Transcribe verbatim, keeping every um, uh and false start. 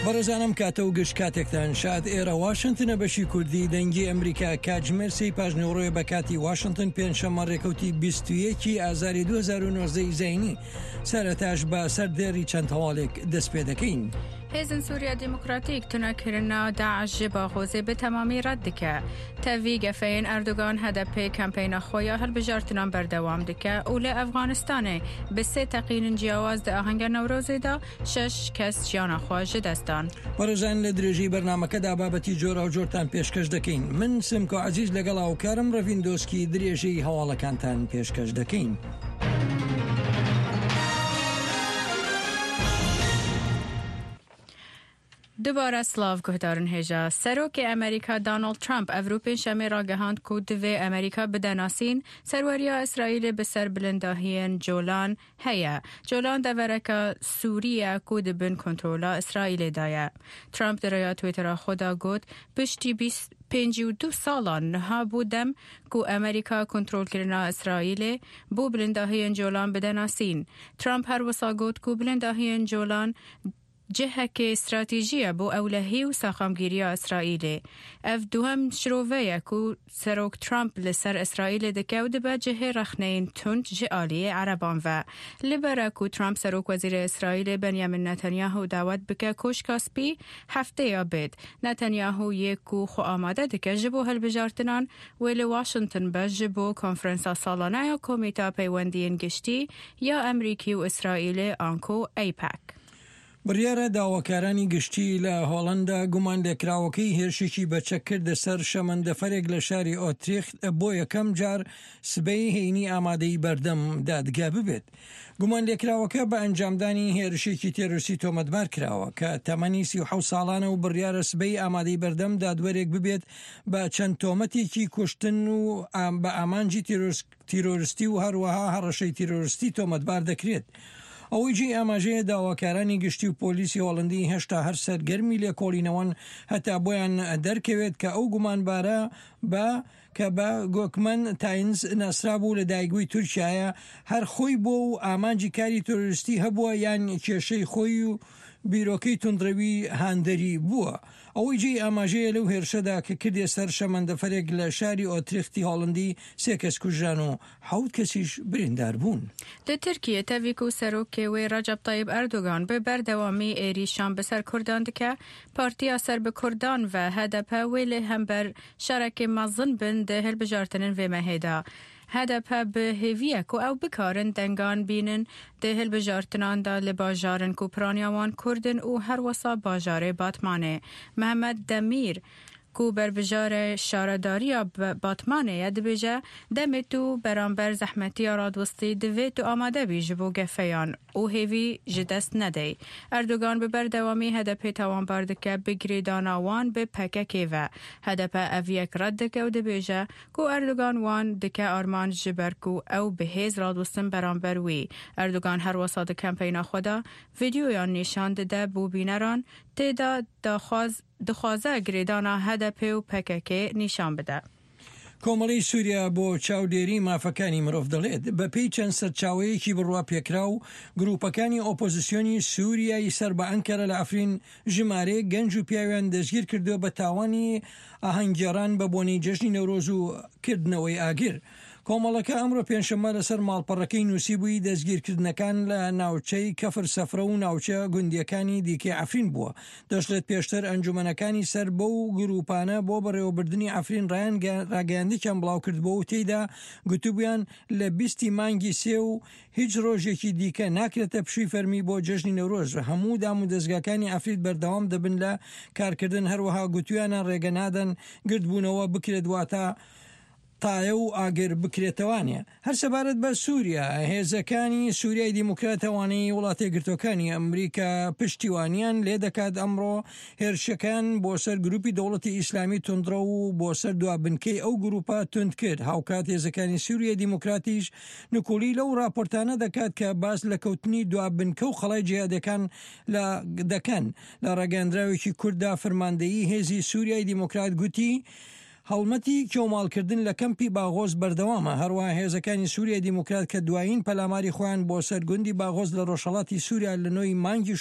بەڕێزان ئەم کاتە و گشت کاتێکتان شاد. ئێرە واشنتنە، بەشی کوردی دەنگی ئەمریکا. کاتژمێر سێی پاش نیوەڕۆیە بە کاتی واشنتن، پێنجشەممە ڕێکەوتی بیست و یەک ئازاری دوو هەزار و نۆزدە ی زایینی. سەرەتاش بە سەردێڕی چەند هەواڵێک دەست پێ دەکەین. هێزن سووریا دیموکراتیک تونەکردنا داعش ji باغۆزێ bi temamî red dike. Tevî gefeyên Erdogan H D P kempeyna xwe ya hilbijartinan berdewam dike û li Efxanistanê bi sê teqînin ciyawaz di ahenga Newrozê de şeş kes jiyana xwe ji dest dan. بەڕێزان لە درێژەی بەرنامەکەدا بابەتی جۆراوجۆرتان پێشکەش دەکەین. من سمکۆ عەزیز لەگەڵ هاوکارم ڕەڤین دۆسکی درێژەی هەواڵەکانتان پێشکەش دەکەین. دوباره سلاو گهدارن هجا. سروک امریکا دانالد ترامپ ئەڤرو پێنجشەمێ راگەهاند کو divê ئەمریکا بدەناسین سەروەریە ئیسرائیل بسەر بلنداهیên جۆلان هەیە. جۆلان دەڤەرەکە سووریە کو دبن کنترۆلا ئیسرائیلê daye. ترامپ دریا تویترا خۆدا گوت پشتی بیست پێنجی و دوو ساڵان نها بوو دەم کو ئەمریکا کنترۆلکردنا ئیسرائیلê بۆ بلنداهیên جۆلان بدەناسین. ترامپ هەروەسا گوت کو بلنداهیên جۆلان جهک استراتیژیە بۆ ئەولەهی و ساخامگیریە ئیسرائیلێ. ئەv دووەم شرۆڤەیە کو سەرۆک ترامپ لەسەر ئیسرائیلێ دکە و دبە جهê ڕەخنەیên tund ji aliyê Ereban ve. Li ber ku Trump serok wezîrê Îsraîlê Benjamin Netanyahu dawet bike Koşka Spî hefteya bêt. Netanyahu yê ku xwe amade dike ji bo hilbijartinan wê li Washington be ji bo konferansa salane ya Komîta Peywendiyên Giştî ya Amerîkî û Îsraîlê anko AIPAC. بڕیارە داواکارانی گشتی لە هۆڵندا گومان لێکراوەکەی هێرشێکی بەچەک کردە سەر شەمەندەفەرێک لە شاری ئۆتریخت بۆ یەکەم جار سبەی هەینی ئامادەی بەردەم دادگا ببێت. گومان لێکراوەکە بە ئەنجامدانی هێرشێکی تێرۆریستی تۆمەتبار کراوە کە تەمەنی سی و حەوت ساڵانە و بڕیارە سبەی ئامادەی بەردەم دادوەرێک ببێت بە چەند تۆمەتێکی کوشتن و بە ئامانجی تیرۆریستی و هەروەها هەڕەشەی تیرۆریستی تۆمەتبار دەکرێت. ئەوەی جێی ئاماژەیە داواکارانی گشتی و پۆلیسی هۆڵندی هێشتا هەر سەرگەرمی لێکۆڵینەوەن هەتا بۆیان دەرکەوێت کە ئەو گومانبارە بە کە بە گۆکمەن تاینز ناسرابوو لە دایکبووی تورکیایە هەر خۆی بۆ و ئامانجی کاری تۆریستی هەبووە یان کێشەی خۆی و بیرۆکەی توندڕەوی هاندەری بووە. ئەوەی جێی ئاماژەیە لەو هێرشەدا کە کردێ سەر شەمەندەفەرێک لە شاری ئۆتریختی هۆڵندی سێ کەس کوژران و حەوت کەسیش بریندار بوون. لە تورکیە تەڤی کو سەرۆکê wê Recep Tayyip Erdogan bi berdewamî êrîşan bi ser Kurdan dike, partiya ser bi Kurdan ve H D P wê li hember şerekê mezin bin di hilbijartinên vê mehê de. H D P bi hêviye ku ew bikarin dengan bînin di hilbijartinan de li bajarên ku piraniya wan Kurd in û herwesa bajarê Batmanê. Mehmet Demîr ku berbijarê şaredariya Batmanê ye dibêje demê tu beramber zehmetiya radwestî divê tu amade bî ji bo gefeyan û hêvî ji dest nedey. Erdogan bi berdewamî H D P tawanbar dike bi girêdana wan bi P K K ve. H D P ev yek red dike û dibêje ku Erdogan wan dike armanc ji ber ku ew bi hêz radwestin beramber wî. Erdogan herwesa di kempeyna xwe de vîdeoyan nîşan dide bo bîneran tê de daxwaz dixwaze girêdana H D P û P K K nîşan bide. کۆمەڵی سووریا بۆ چاودێری مافەکانی مرۆڤ دەڵێت بە پێی چەند سەرچاوەیەکی بڕوا پێکرا و گروپەکانی ئۆپۆزیسیۆنی سووریای سەر بە ئەنکەرە لە ئەفرین ژمارەیەک گەنج و پیاویان دەستگیر کردووە بە تاوانی ئاهەنگگێڕان بە بۆنەی جەژنی نەورۆز و کردنەوەی ئاگر. کۆمەڵەکە ئەمڕۆ پێنجشەممە لەسەر ماڵپەڕەکەی نووسیبووی دەستگیرکردنەکان لە ناوچەی کەفر سەفرە و ناوچە گوندیەکانی دیکەی ئەفرین بووە. دەشڵێت پێشتر ئەنجومەنەکانی سەر بەو گروپانە بۆ بەڕێوەبردنی ئەفرین ڕایان ڕاگەیاندێکیان بڵاو کردبووە و تێیدا گوتبوویان لە بیستی مانگی سێ و هیچ ڕۆژێکی دیکە ناکرێتە پشووی فەرمی بۆ جەژنی نەورۆز. هەموو دام و دەستگاکانی ئەفرین بەردەوام دەبن لە کارکردن. هەروەها گوتویانە ڕێگە نادەن گردبوونەوە بکرێت واتە تایە و ئاگر بکرێتەوانێ. هەر سەبارەت بە سووریا، هێزەکانی سووریای دیموکراتەوانەی وڵاتە یەکگرتووەکانی ئەمریکا پشتیوانیان لێ دەکات ئەمڕۆ هێرشەکان بۆ سەر گروپی دەوڵەتی ئیسلامی توندڕە و بۆ سەر دوا بنکەی ئەو گروپە تند کرد. هاوکات هێزەکانی سووریای دیموکراتیش نکۆڵی لەو راپۆرتانە دەکات کە باس لە کەوتنی دوا بنکە و قەڵای جیهادەکان لە دەکەن. لە ڕاگەیاندراوێکی کورددا فەرماندەیی هێزی سووریای دیموکرات گوتی هەڵمەتی کێوماڵکردن لە کەمپی باغۆز بەردەوامە. هەروەها هێزەکانی سووریای دیموکرات کە دوایین پەلاماری خۆیان بۆ سەر گوندی باغۆز لە ڕۆژهەڵاتی سووریا لە نۆی مانگی